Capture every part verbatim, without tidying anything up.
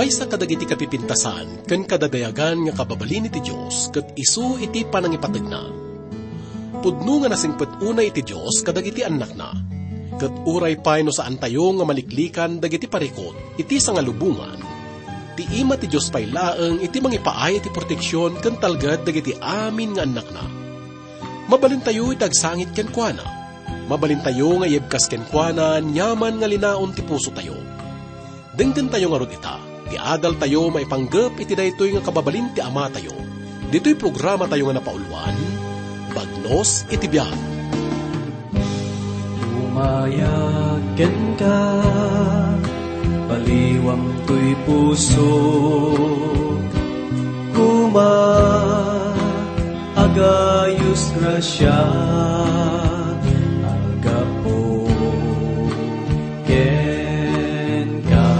Maysa kadagiti kapipintasan ken kadadayagan nga kababalin iti Dios ket isu iti panangipategna. Pudno nga nasingpet unay iti Dios kadagiti annakna, ket uray pay no saantayo nga maliklikan dagiti parikut iti sangalubongan, ti ima ti Dios pay laeng iti mangipaay iti proteksion ken talged dagiti amin nga annakna. Mabalintayo iti agsangit kenkuana. Mabalintayo nga iyebkas kenkuana aniaman nga linaon ti pusotayo. Denggentayo ngarud ita, ti adaltayo maipanggep iti daytoy nga kababalin ti Amatayo, ditoy programatayo nga napauluan, Bagnos iti Biag. Umayag kenka, paliwam toy puso, kuma, agayos grasia, agapu kenka.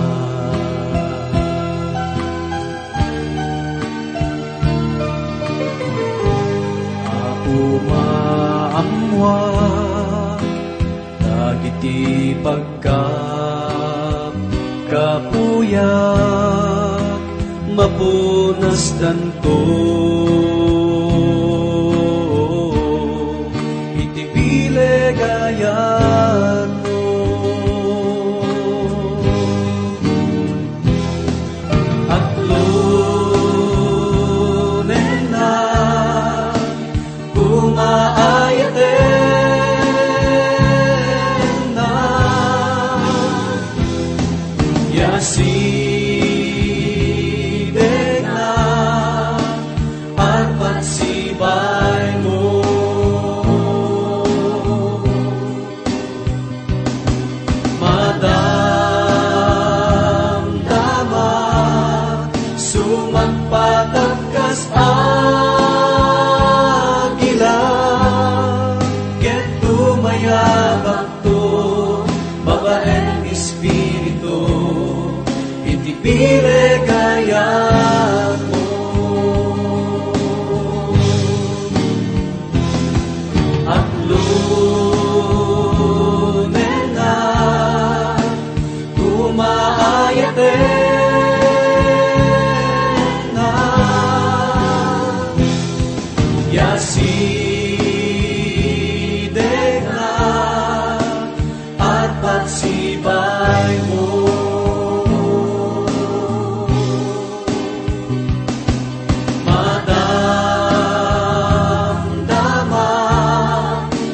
Apo, maammoak dagiti pagkapkapuyak, mapunasdanto iti bileg a yatmo. Atlonennak, kuma, ayatennak, ya asidegnak, arpat sibaymo. Madamdama, sumagpatak kas agila, ket dumayabakto babaen espiritu, iti bileg a yatmo. Atlonennak, kuma, ayatennak, ya asidegnak, arpat sibaymo. Madamdama,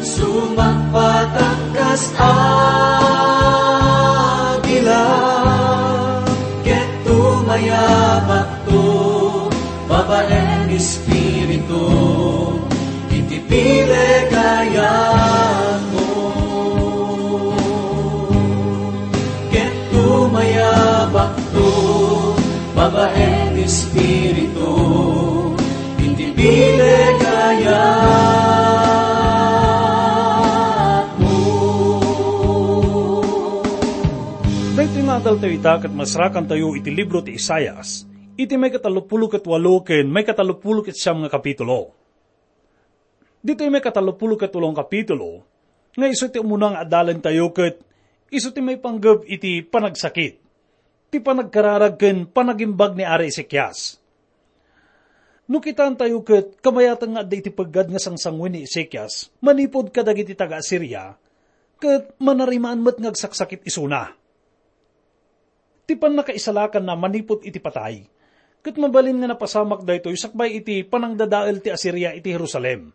sumagpatak kas agila, ket dumayabakto babaen espiritu, iti bileg a yatmo. Ket dumayabakto babaen espiritu, iti bileg a yatmo. Daytoy nga adaltayo ita ket masarakantayo iti libro ti Isaias, iti maikatalopulo ket walo ken maikatalopulo ket siam nga kapitulo. Ditoy maikatalopulo ket walo nga kapitulo, nga isu ti umuna nga adalentayo ket isu ti maipanggep iti panagsakit, ti panagkararag ken panagimbag ni Ari Ezekias. No kitaentayo ket kabayatan nga adda iti peggad nga sangsangoen ni Ezekias manipud kadagiti taga-Asiria, ket manarimaan met nga agsaksakit isuna. Ti pannakaisalakanna manipud iti patay, ket mabalin nga napasamak daytoy sakbay iti panangdadael ti Asiria iti Jerusalem.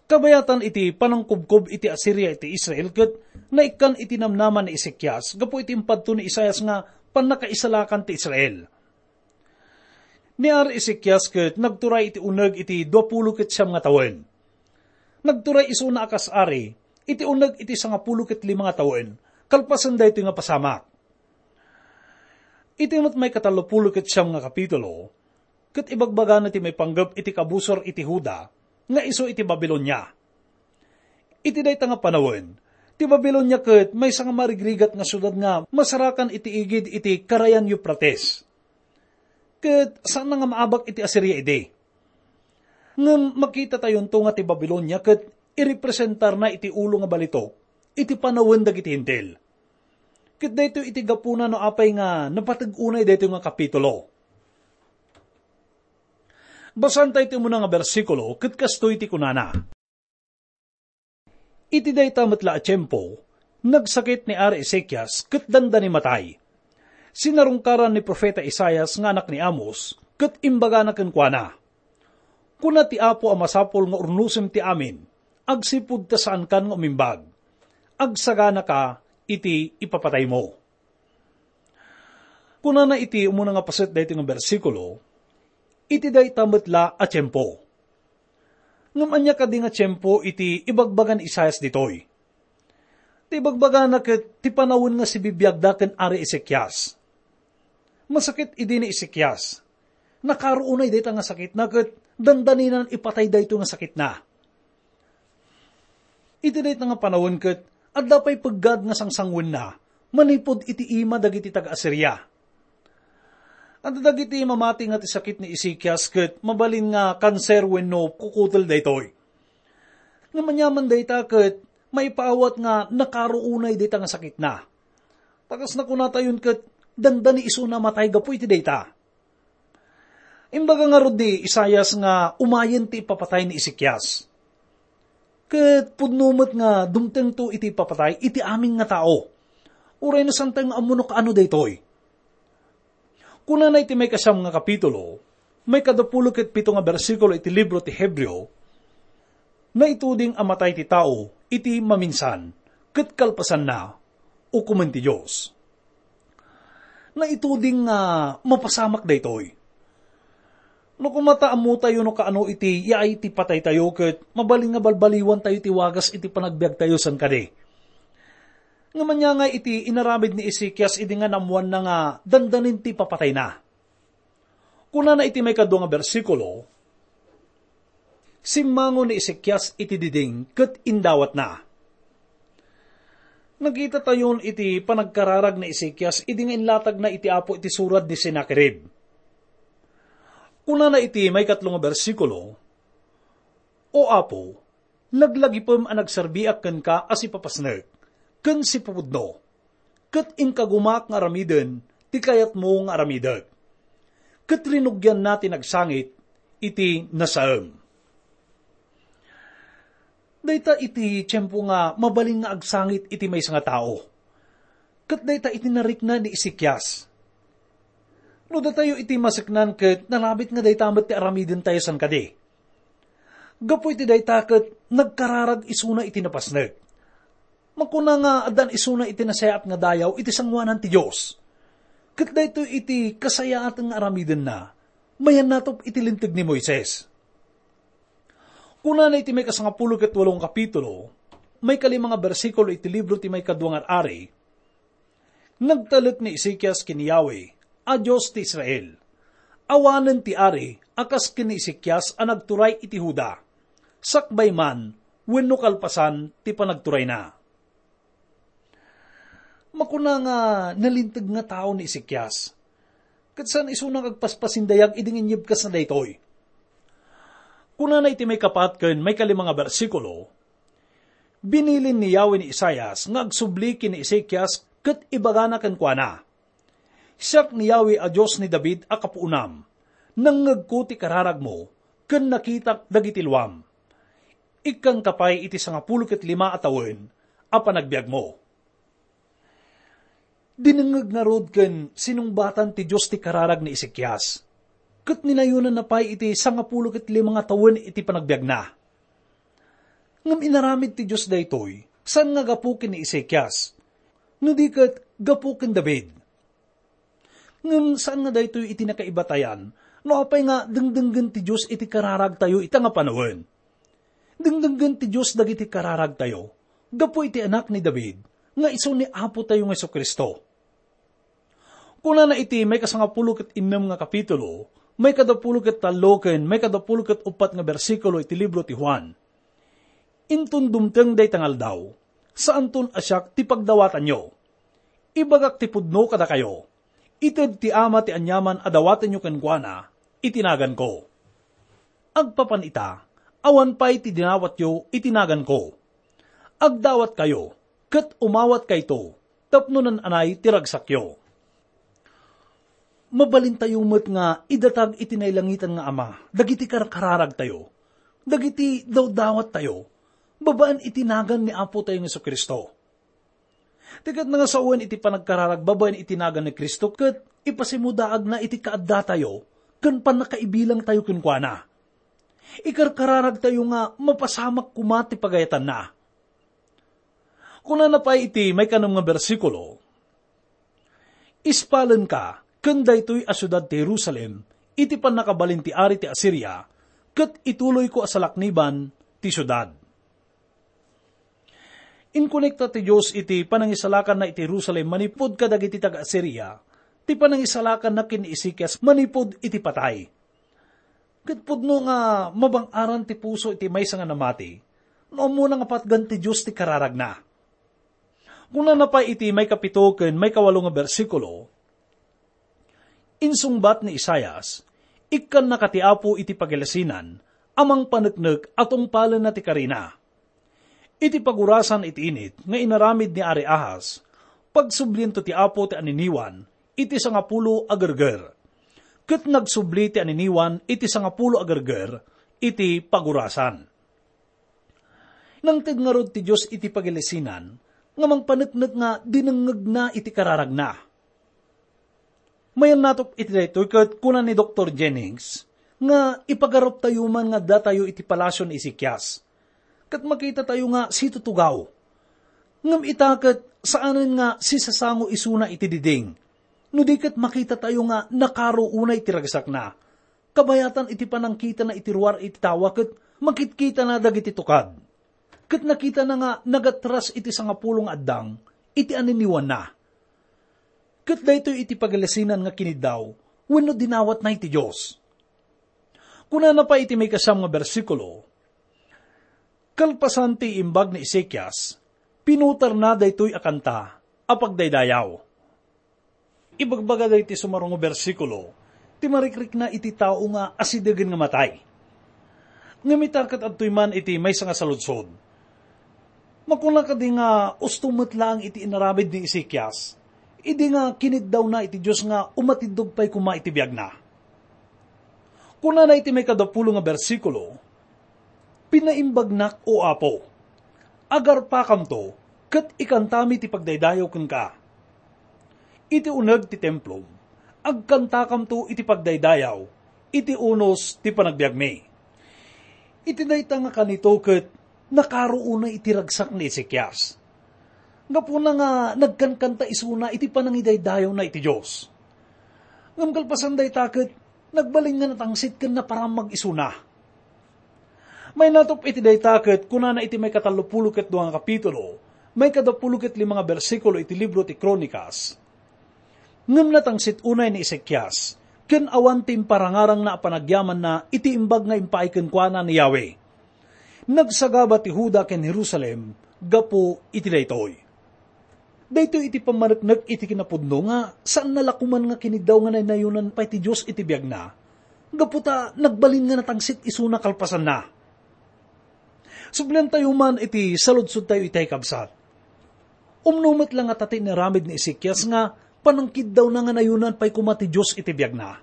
Kabayatan iti panangkubkob iti Asiria iti Israel ket naikkan iti namnama ni Ezekias gapu iti impadto ni Isaias nga pannakaisalakan ti Israel. Ni Ari Ezekias ket nagturay iti uneg iti duapulo ket siam nga tawen. Nagturay isuna a kas ari iti uneg iti sangapulo ket lima nga tawen, kalpasen daytoy nga pasamak. Iti met maikatalopulo ket siam nga kapitulo, ket ibagbagana ti maipanggep iti kabusor iti Juda nga isu iti Babilonia. Iti dayta nga panawen, ti Babilonia ket maysa nga marigrigat nga siudad nga masarakan iti igid iti Karayan Eufrates. Ket saanna nga maabak iti Asiria idi. Ngem makitatayonto nga ti Babilonia ket irepresentarna iti ulo nga balitok iti panawen dagiti Hentil. Ket daytoy iti gapuna no apay nga napateg unay daytoy nga kapitulo. Basaentayo ti umuna nga bersikulo, ket kastoy ti kunana, "Iti dayta met la a tiempo, nagsakit ni Ari Ezekias ket dandani matay. Sinarungkaran ni profeta Isaias nga anak ni Amos, ket imbagana kenkuana, 'Kuna ti Apo a masapul nga urnosem ti amin, agsipud ta saankan nga umimbag. Agsaganaka iti ipapataymo.'" Kunana iti umuna nga paset daytoy nga bersikulo, "Iti dayta met la a tiempo." Ngem ania kadi nga tiempo iti ibagbaga ni Isaias ditoy? Ti ibagbagana ket ti panawen nga sibibiagda ken Ari Ezekias. Masakit idi ni Ezekias. Nakaro unay dayta nga sakitna ket dandaninan ipatay daytoy nga sakitna. Iti dayta nga panawen ket adda pay peggad nga sangsanguenna manipud iti ima dagiti taga-Asiria. Adda dagiti mamati nga ti sakit ni Ezekias ket mabalin nga kanser wenno kukutel daytoy. Ngem aniaman dayta ket maipaawat nga nakaro unay dayta nga sakitna. Ta kas nakunatayon ket dandani isuna matay gapu iti dayta. Imbaga ngarud ni Isaias nga umayen ti ipapatay ni Ezekias. Ket pudno met nga dumtengto iti ipapatay iti amin nga tao. Uray no santa nga ammo no kaano daytoy. Kunana iti maikasiam nga kapitulo, maikadapulo ket pito nga bersikulo iti libro ti Hebreo, "Naituding a matay ti tao iti maminsan, ket kalpasanna, ukomen ti Dios." Naituding nga mapasamak daytoy. No koma ta ammotayo no kaano iti yaay ti pataytayo ket mabalin nga balbaliwantayo ti wagas iti panagbiagtayo san kadi. Ngem ania nga iti inaramid ni Ezekias idi nga naammoanna nga dandanin ti papatayna? Kunana iti maikadua nga bersikulo, "Simmango ni Ezekias iti diding ket indawatna." Nakitatayon iti panagkararag ni Ezekias idi nga inlatagna iti Apo iti surad ni Sennacherib. Kunana iti maikatlo nga bersikulo, "O Apo, laglagipem a nagserbiak kenka a sipapasnek ken sipapudno, ket inkagumak nga aramiden ti kayatmo nga aramidek." Ket rinugianna ti nagsangit iti nasaem. Dayta iti tiempo nga mabalin nga agsangit iti maysa nga tao. Ket dayta iti narikna ni Ezekias. No datayo iti maseknan ket nalabit nga dayta met ti aramidentayo san kadi. Gapu iti dayta ket nagkararag isuna iti napasnek. Makuna nga addan isuna iti nasayaat nga dayaw iti sangoanan ti Dios. Ket daytoy iti kasayaatan nga aramidenna, mayannatop iti Linteg ni Moises. Kunana iti maikasangapulo ket walo nga kapitulo, maikalima nga bersikulo iti libro ti Maikadua nga Ari, "Nagtalek ni Ezekias ken ni Yahweh a Dios ti Israel. Awanen ti ari a kas ken ni Ezekias a nagturay iti Juda, sakbay man wenno kalpasan ti panagturayna." Makuna nga nalinteg nga tao ni Ezekias. Ket saan isuna nga agpaspasindayag idi nga inyebkasna daytoy. Kunana iti maikapat ken maikalima nga bersikulo, "Binilin ni Yahweh ni Isaias nga agsubli ken ni Ezekias ket ibagana kenkuana, 'Siak ni Yahweh a Dios ni David a kapuonam. Nangngegko ti kararagmo ken nakitak dagiti luam. Ikkanka pay iti sangapulo ket lima a tawen a panagbiagmo.'" Dinengngeg ngarud ken sinungbatan ti Dios ti kararag ni Ezekias, ket ninayonanna pay iti sangapulo ket lima nga tawen iti panagbiagna. Ngem inaramid ti Dios daytoy, saan nga gapu ken ni Ezekias, no di ket gapu ken David. Ngem saan nga daytoy iti nakaibatayan, no apay nga dengdenggen ti Dios iti kararagtayo ita nga panawen. Dengdenggen ti Dios dagiti kararagtayo gapu iti Anak ni David nga isu ni Apotayo nga Jesu-Cristo. Kunana iti maikasangapulo ket innem nga kapitulo, maikadapulo ket tallo ken maikadapulo ket uppat nga bersikulo iti libro ti Juan, "Inton dumteng dayta nga aldaw, saanton a siak ti pagdawatanyo. Ibagak ti pudno kadakayo, ited ti Ama ti aniaman a dawatenyo kenkuana iti naganko. Agpapan ita, awan pay ti dinawatyo iti naganko. Agdawatkayo, ket umawatkayto, tapno naan-anay ti ragsakyo. Mabalintayo met nga idatag iti nailangitan nga Ama dagiti karkararagtayo, dagiti dawdawattayo, babaen iti nagan ni Apotayo Jesu-Cristo. Ti ket nangasawen iti panagkararag babaen iti nagan ni Cristo ket ipasimudaagna iti kaaddatayo ken pannakaibilangtayo kenkuana. Ikarkararagtayo nga mapasamak koma ti pagayatanna. Kunana pay iti maikanem nga bersikulo, "Ispalenka ken daytoy a siudad ti Jerusalem iti pannakabalin ti ari ti Asiria, ket ituloyko a salakniban ti siudad." Inkonekta ti Dios iti panangisalakanna iti Jerusalem manipud kadagiti taga-Asiria, ti panangisalakanna ken ni Ezekias manipud iti patay. Ket pudno nga mabang-aran ti puso iti maysa nga namati, no ammona nga patgan ti Dios ti kararagna. Kunana pay iti maikapito ken maikawalo nga bersikulo, insungbat ni Isaias, "Ikkannaka ti Apo iti pagilasinan a mangpaneknek a tungpalenna ti karina." Iti pagurasan iti init nga inaramid ni Ari Ahaz, pagsubliento ti Apo ti aniniwan iti sangapulo a gerger, ket nagsubli ti aniniwan iti sangapulo a gerger iti pagurasan. Nangted ngarud ti Dios iti pagilasinan nga mangpaneknek nga dinengngegna iti kararagna. Mayannatop iti daytoy ket kuna ni Doktor Jennings nga ipagaruptayo man nga addatayo iti palasio ni Ezekias, ket makitatayo nga situtugaw. Ngem ita ket saanen nga sisasango isuna iti diding, no di ket makitatayo nga nakaro unay ti ragsakna, kabayatan iti panangkitana iti ruar iti tawa ket makitkitana dagiti tukad. Ket nakitana nga nagatras iti sangapulo nga addang iti aniniwanna. Ket daytoy iti pagilasinan nga kiniddaw wenno dinawatna iti Dios. Kunana pay iti maikasiam nga bersikulo, "Kalpasan ti imbag ni Ezekias, pinutarna daytoy a kanta a pagdaydayaw." Ibagbaga daytoy sumaruno nga bersikulo ti marikrikna iti tao nga asidegen nga matay. Ngem ita ket adtoy man iti maysa nga saludsod. Makuna kadi nga usto met laeng iti inaramid ni Ezekias, idi nga kiniddawna iti Dios nga umatiddog pay koma iti biagna? Kunana iti maikadapulo nga bersikulo, "Pinaimbagnak, O Apo, agarpakamto ket ikantami ti pagdaydayaw kenka. Iti uneg ti templom, agkantakamto iti pagdaydayaw iti unos ti panagbiagmi." Iti dayta nga kanito ket nakaro unay iti ragsak ni Ezekias. Gapuna nga nagkankanta isuna iti panangidaydayawna iti Dios. Ngem kalpasan dayta ket nagbalin nga natangsit ken naparammag isuna. Mayannatop iti dayta ket kunana iti maikatallopulo ket dua nga kapitulo, maikadapulo ket lima nga bersikulo iti libro ti Kronikas, "Ngem natangsit unay ni Ezekias, ken awan ti imparangarangna a panagyamanna iti imbag nga impaay kenkuana ni Yahweh. Nagsagaba ti Juda ken Jerusalem gapu iti daytoy." Daytoy iti pammaneknek iti kinapudno nga saanna la koman nga kiniddaw nga naynayonan pay ti Dios iti biagna, gapu ta nagbalin nga natangsit isuna kalpasanna. Subliantayo man iti saludsodtayo itay, kabsat. Umno met la ngata ti inaramid ni Ezekias nga panangkiddawna nga nayonan pay koma ti Dios iti biagna?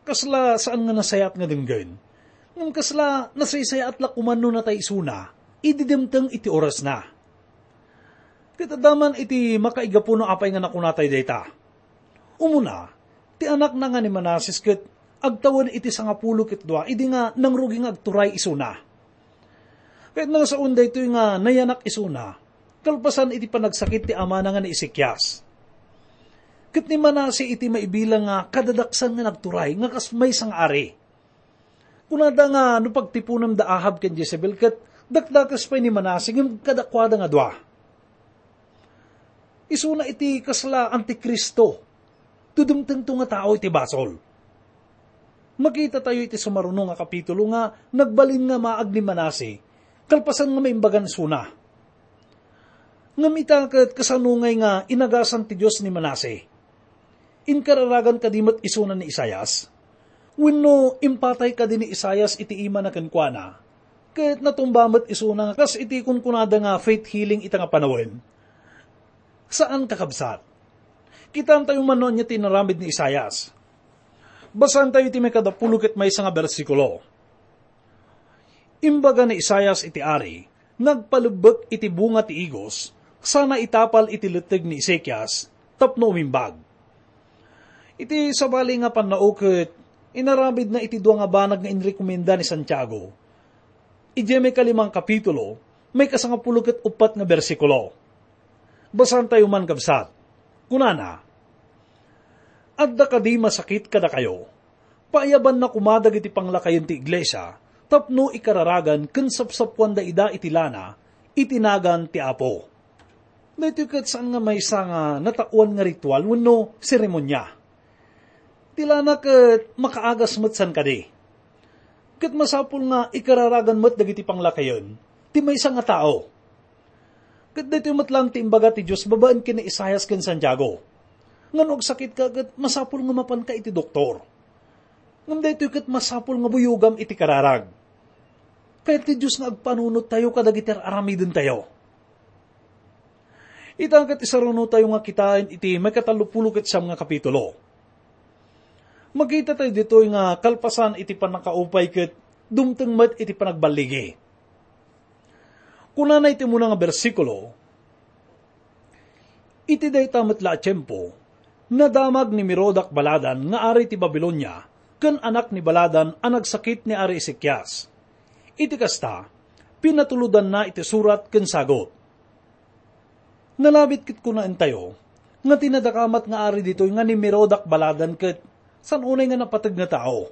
Kasla saan nga nasayaat nga denggen, ngem kasla nasaysayaat la koman no natay isuna idi dimteng iti orasna. Ket adda man iti makaigapu no apay nga nakunatay dayta. Umuna, ti anakna nga ni Manases ket agtawen iti sangapulo ket dua idi nga nangrugi nga agturay isuna. Ket nangsaon daytoy nga nayanak isuna, kalpasan iti panagsakit ti amana nga ni Ezekias. Ket ni Manase iti maibilang nga kadadaksan nga nagturay nga kas maysa nga ari. Kunada nga no pagtiponem da Ahab ken Jezebel ket dakdakes pay ni Manase ngem kadakuada nga dua. Isuna iti kasla antikristo, ti dumtengto nga tao iti basol. Makitatayo iti sumaruno nga kapitulo nga nagbalin nga maag ni Manase, kalpasan nga maimbagan isuna. Ngem ita ket kasano ngay nga inagasan ti Dios ni Manase? Inkararagan kadi met isuna ni Isaias? Wenno impatay kadi ni Isaias iti imana kenkuana, ket natumba met isuna kas iti kunkunada nga faith healing ita nga panawen? Saan, kakabsat. Kitaentayo man no ania ti inaramid ni Isaias. Basaentayo iti maikadapulo ket maysa nga bersikulo. Imbaga ni Isaias iti ari, nagpalebbek iti bunga ti igos, sana itapal iti letteg ni Ezekias, tapno umimbag. Iti sabali nga pannao ket inaramidna iti dua nga banag nga inrekomenda ni Santiago. Idiay maikalimang kapitulo, maikasangapulo ket uppat nga bersikulo. Basaentayo man, kabsat. Kunana, "Adda kadi masakit kadakayo? Paayabanna koma dagiti panglakayen ti iglesia tapno ikararagan ken sapsappuanda ida iti lana iti nagan ti Apo." Daytoy ket saan nga maysa nga nataoan nga ritual wenno seremonia. Ti lana ket makaagas met san kadi. Ket masapul nga ikararagan met dagiti panglakayen ti maysa nga tao. Ket daytoy met laeng ti imbaga ti Dios babaen ken ni Isaias ken Santiago. Nga no agsakitka ket masapul nga mapanka iti doktor. Ngem daytoy ket masapul nga buyogam iti kararag. Kayat ti Dios nga agpanunottayo kadagiti ar-aramidentayo. Ita ket isarunotayo nga kitaen iti maikatallopulo ket siam nga kapitulo. Makitatayo ditoy nga kalpasan iti pannakaupay ket dumteng met iti panagballigi. Kunana iti umuna nga bersikulo, "Iti dayta met la a tiempo, nadamag ni Merodac Baladan nga ari ti Babilonia ken anak ni Baladan a nagsakit ni Ari Ezekias. Iti kasta, pinatulodanna iti surat ken sagut." Nalabit ket kunaentayo nga ti nadakamat nga ari ditoy nga ni Merodac Baladan ket saan unay nga napateg nga tao.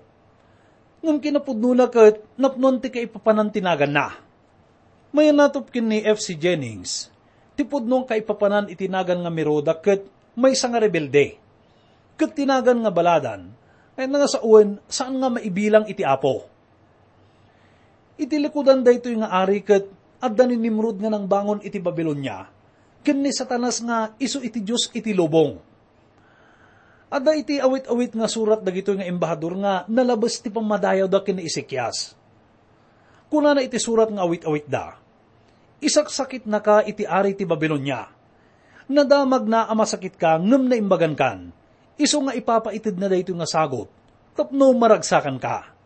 Ngem kinapudnona ket napnoan ti kaipapanan ti naganna. Mayanatop ken ni F C Jennings, ti pudno nga kaipapanan iti nagan nga Merodac ket maysa nga rebelde. Ket ti nagan nga Baladan, nga sawen, saan nga maibilang iti Apo. Iti likudan daytoy nga ari ket adda ni Nimrod nga nangbangon iti Babilonia, ken ni Satanas nga isu iti dios iti lubong. Adda iti awit-awit nga surat dagitoy nga embahador nga nalabes ti pammadayawda ken ni Ezekias. Kunana iti surat nga awit-awitda, "Isaksakitnaka iti ari ti Babilonia. Nadamagna a masakitka ngem naimbagankan. Isu nga ipapaitedna daytoy nga sagut tapno maragsakanka."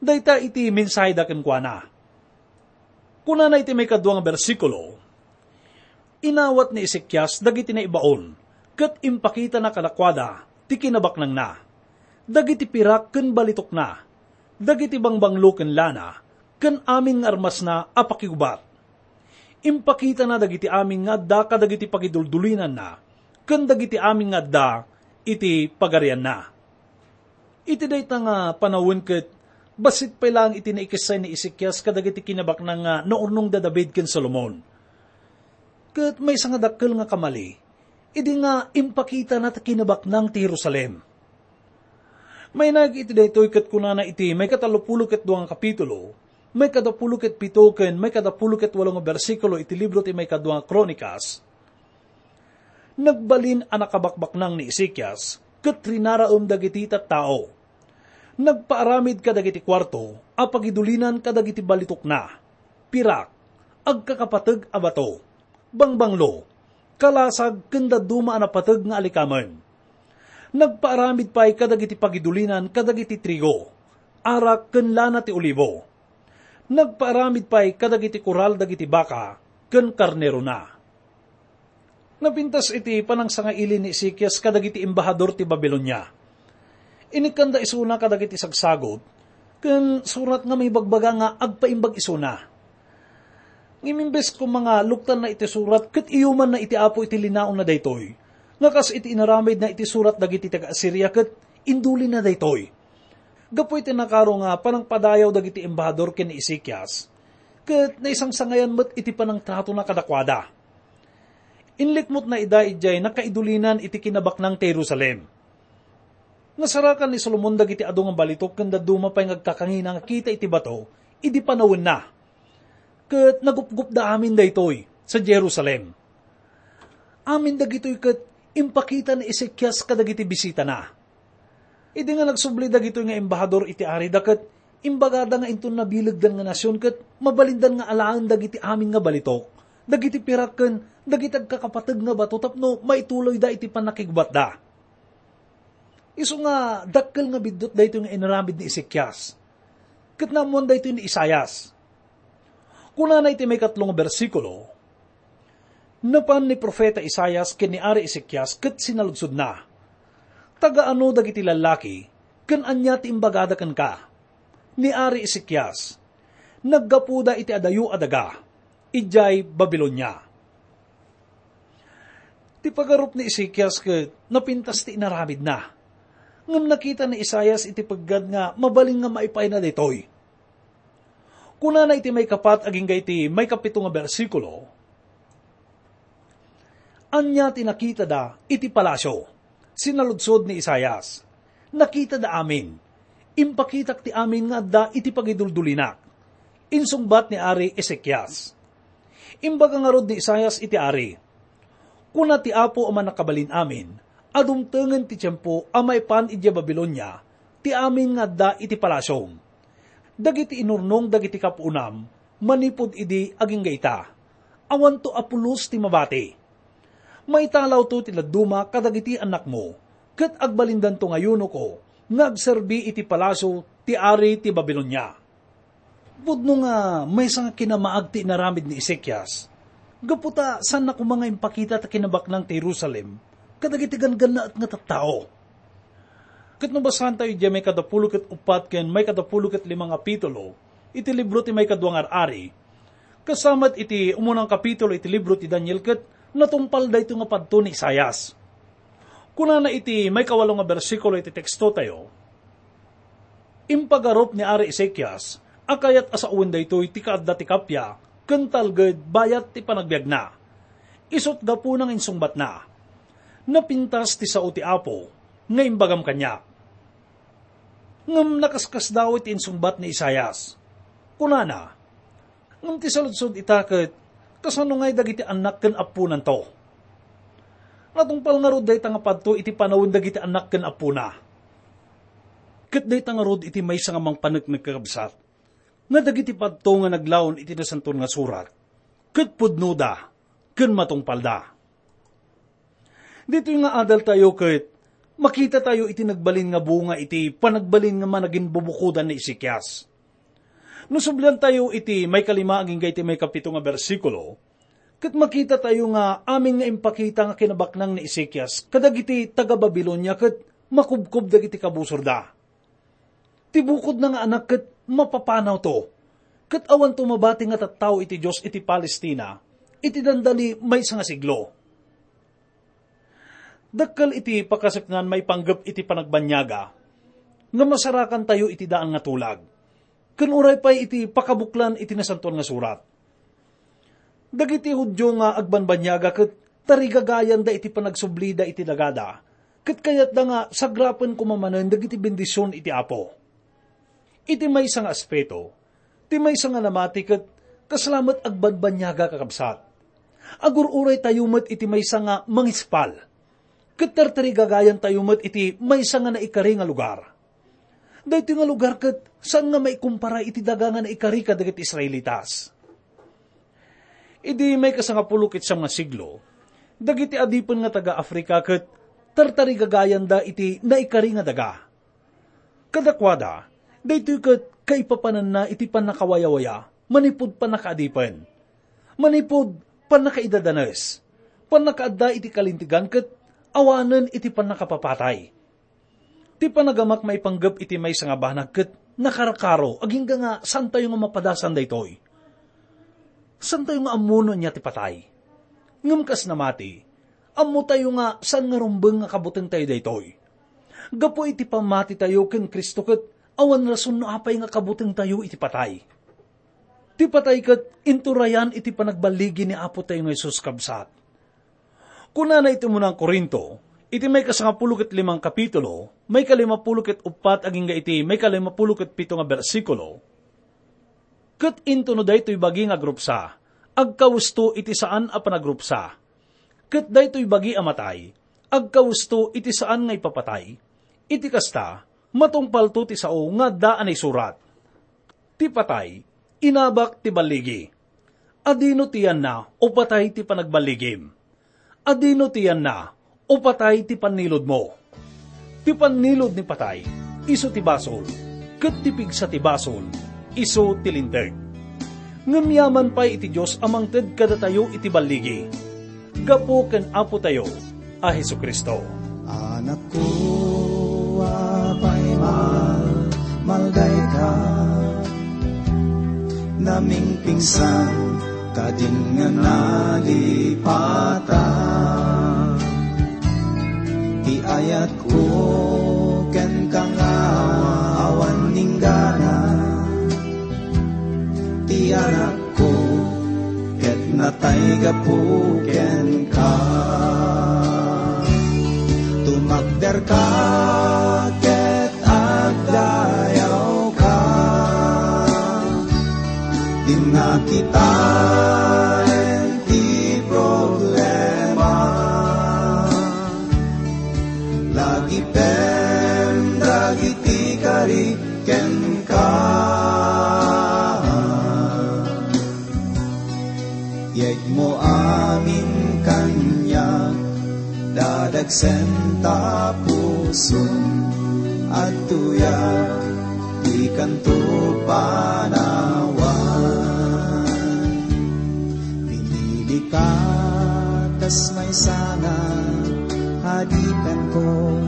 Dayta iti mensaheda kenkuana. Kunana iti maikadua nga bersikulo, "Inawat ni Ezekias dagiti naibaon, ket impakitana kadakuada ti kinabaknangna, dagiti pirak ken balitokna, dagiti bangbanglo ken lana, ken amin nga armasna a pakigubat. Impakitana dagiti amin nga adda kadagiti pagiduldulinanna, ken dagiti amin nga adda iti pagarianna." Iti dayta nga panawen ket bassit pay laeng iti naikessay ni Ezekias kadagiti kinabaknang nga naurnong da David ken Solomon. Ket maysa nga dakkel nga kamali, idi nga impakitana ti kinabaknang ti Jerusalem. Mainaig iti daytoy ket kunana iti maikatalopulo ket dua nga kapitulo, maikadapulo ket pito ken maikadapulo ket walo nga bersikulo iti libro ti maikadua nga Kronikas, "Nagbalin a nakabakbaknang ni Ezekias ket rinaraem dagiti tattao. Nagpaaramid kadagiti kuarto a pagidulinan kadagiti balitokna, pirak, agkakapateg a bato, bangbanglo, kalasag ken dadduma a napateg nga alikamen. Nagpaaramid pay kadagiti pagidulinan kadagiti trigo, arak ken lana ti olibo. Nagpaaramid pay kadagiti koral dagiti baka ken karnerona." Napintas iti panangsangaili ni Ezekias kadagiti embahador ti Babilonia. Inikkanda isuna kadagiti sagsagut, ken surat nga maibagbaga nga agpaimbag isuna. Ngem imbes koma nga luktanna iti surat ket iyumanna iti Apo iti linaonna daytoy, nga kas iti inaramidna iti surat dagiti taga-Asiria ket indulinna daytoy. Gapu iti nakaro nga panangpadayaw dagiti embahador ken ni Ezekias, ket naisangsangayan met iti panangtratona kadakuada. Inlikmutna ida idiay nakaidulinan iti kinabaknang ti Jerusalem. Nasarakan ni Solomon dagiti adu nga balitok ken dadduma pay nga agkakangina nga kita iti bato idi panawenna. Ket nagupgupda amin daytoy sa Jerusalem. Amin dagitoy ket impakita ni Ezekias kadagiti bisitana. Idi nga nagsubli dagitoy nga embahador iti arida ket imbagada nga inton nabilegdan nga nasion ket mabalindan nga alaen dagiti amin nga balitok, dagiti pirak ken dagiti agkakapateg nga bato tapno maituloyda iti pannakigbatda. Isu nga dakkel nga biddut daytoy nga inaramid ni Ezekias. Ket naammoan daytoy ni Isaias. Kunana iti maikatlo nga bersikulo, "Napan ni profeta Isaias ken ni Ari Ezekias ket sinaludsodna, 'Taga ano dagiti lallaki, ken ania ti imbagada kenka?' Ni Ari Ezekias, 'Naggapuda iti adayo a daga, idiay Babilonia.'" Ti pagarup ni Ezekias ket napintas ti inaramidna. Ngem nakita ni Isaias iti peggad nga mabalin nga maipayna daytoy. Kunana iti maikapat agingga iti maikapito nga bersikulo, "Ania ti nakitada iti palasio?" Sinaludsod ni Isaias, "Nakitada amin. Impakitak ti amin nga adda iti pagiduldulinak," insungbat ni Ari Ezekias. Imbaga ngarud ni Isaias iti ari, "Kuna ti Apo a Mannakabalin-amin a dumtengen ti tiempo a maipan idiay Babilonia ti amin nga adda iti palasiom. Dagiti inurnong dagiti kapuonam manipud idi agingga ita, awanto a pulos ti mabati. Maitalawto ti dadduma kadagiti annakmo, ket agbalindanto nga eunuko nga agserbi iti palasio ti ari ti Babilonia." Pudno nga maysa nga kinamaag ti inaramid ni Ezekias, gapu ta saanna koma nga impakita ti kinabaknang ti Jerusalem kadagiti ganggannaet nga tattao. Ket no basaantayo idiay maikadapulo ket uppat ken maikadapulo ket lima nga kapitulo iti libro ti Maikadua nga Ar-ari, kasta met iti umuna nga kapitulo iti libro ti Daniel, ket natungpal daytoy nga padto ni Isaias. Kunana iti maikawalo nga bersikulo iti tekstotayo, "Impagarup ni Ari Ezekias a kayat a sawen daytoy ti kaadda ti kappia ken talged bayat ti panagbiagna. Isut' gapuna nga insungbatna, 'Napintas ti sao ti Apo nga imbagam kaniak.'" Ngem nakaskasdaaw iti insungbat ni Isaias. Kunana, "Ngem ti saludsod ita ket, kasano ngay dagiti annak ken apponanto?" Natungpal ngarud dayta nga padto iti panawen dagiti annak ken appona. Ket dayta ngarud iti maysa nga mangpaneknek, kakabsat, nga dagiti padto nga naglaon iti Nasantoan nga Surat ket pudnoda ken matungpalda. Ditoy nga adaltayo ket makitatayo iti nagbalin nga bunga iti panagbalin nga managinbubukodan ni Ezekias. No subliantayo iti maikalima agingga iti maikapito nga bersikulo, ket makitatayo nga amin nga impakita nga kinabaknang ni Ezekias kadagiti taga-Babilonia ket makubkob dagiti kabusorda. Ti bukodna nga anak ket mapapanawto, ket awanto mabati nga tattao iti Dios iti Palestina iti dandani maysa nga siglo. Dakkel iti pakasaknaan maipanggep iti panagbanniaga nga masarakantayo iti daan nga tulag, ken uray pay iti pakabuklan iti Nasantoan nga Surat. Dagiti Judio nga agbanbanniaga ket tarigagayanda iti panagsublida iti dagada, ket kayatda nga sagrapen koma manen dagiti bendision iti Apo. Iti maysa nga aspeto, ti maysa nga namati ket kasla met agbanbanniaga, kakabsat. Agur-uraytayo met iti maysa nga mangispal, ket tartarigagayantayo met iti maysa nga naikari nga lugar. Daytoy nga lugar ket saan nga maikumpara iti daga nga naikari kadagiti Israelitas. Idi maikasangapulo ket siam nga siglo, dagiti adipen nga taga-Africa ket tartarigagayanda iti naikari nga daga. Kadakuada, daytoy ket kaipapananna iti pannakawayawaya manipud pannakaadipen, manipud pannakaidadanes, pannakaadda iti kalintegan ket awanen iti pannakapapatay. Ti panagamak maipanggep iti maysa nga banag ket nakarkaro agingga nga saantayo nga mapadasan daytoy. Saantayo nga ammo no ania ti patay. Ngem kas namati, ammotayo nga saan nga rumbeng nga kabutengtayo daytoy. Gapu iti pammatitayo ken Cristo ket awan rason no apay nga kabutengtayo iti patay. Ti patay ket inturayan iti panagballigi ni Apotayo nga Jesus, kabsat. Kunana iti umuna nga Corinto, iti maikasangapulo ket limang kapitulo, maikalimapulo ket uppat agingga iti maikalimapulo ket pito nga bersikulo, "Ket intono daytoy bagi nga agrupsa, agkawesto iti saan a panagrupsa. Ket daytoy bagi a matay, agkawesto iti saan nga ipapatay. Iti kasta, matungpalto ti sao nga adda a naisurat, 'Ti patay, inabak ti balligi.' Adino ti yanna o patay ti panagballigim? Adino ti yanna o patay ti panniludmo? Ti pannilud ni patay, isu ti basol, ket ti pigsa ti basol, isu ti linteg. Ngem yaman pay iti Dios a mangted kadatayo iti balligi, gapu ken Apotayo a Jesu-Cristo. Anakko, apay malmaldayka, namingpingsan kadin nga nalipata. Ti ayatko kenka nga awan inggana, ti anakko ket natay gapu kenka. Tumakderka ket agdayawka. Dinnak kitaen ti problema. Lagipen dagiti kari kenka. Yegmo amin kaniak, dadagsem ta pusom, adtoyak ti kanto panawan. Pinilika kas maysa nga adipenko,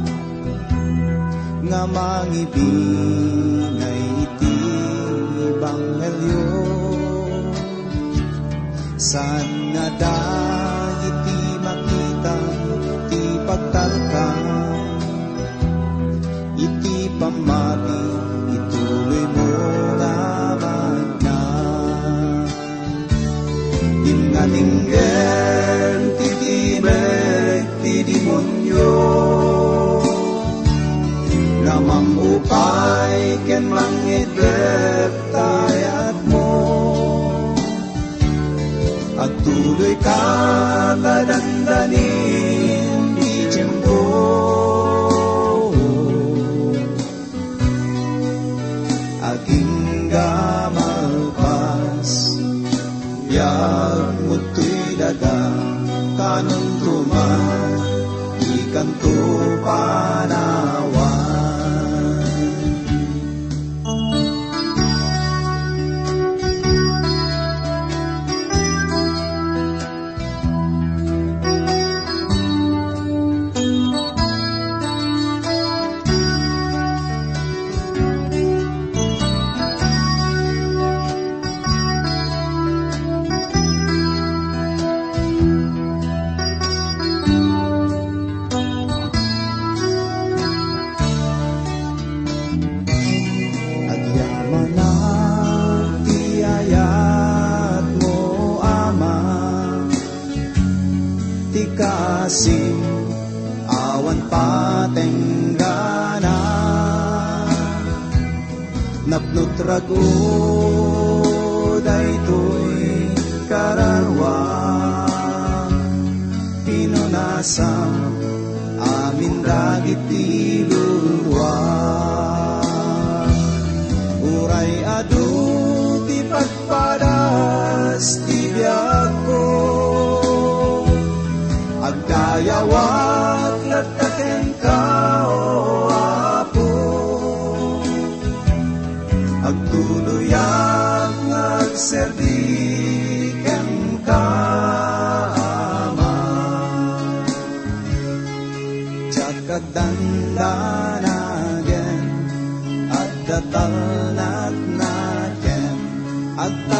nga mangibingay iti ebanghelio. Saan nga dagiti makita ti pagtalka iti pammati, ituloy mo nga magna. Dinnak inggen ti timek ti demonio nga mangupay ken mangitlep ta ayatmo. Agtuloyka ta dandanin ti tiempo. Agingga malpas, biag mo toy daga, kanunto man, ikanto panawan. Agyamanak ti ayatmo, Ama, ti kaasim awan patenggana. Napno't rag-o daytoy kararua, pinunasam amin dagiti lulua. Uray adu ti pagpadas ti biagko, agdayawak latta kenka, O Apo. Agtuloyak nga agserbi kenka, Ama. Diak agdandanagen, adda talnatnaken, agta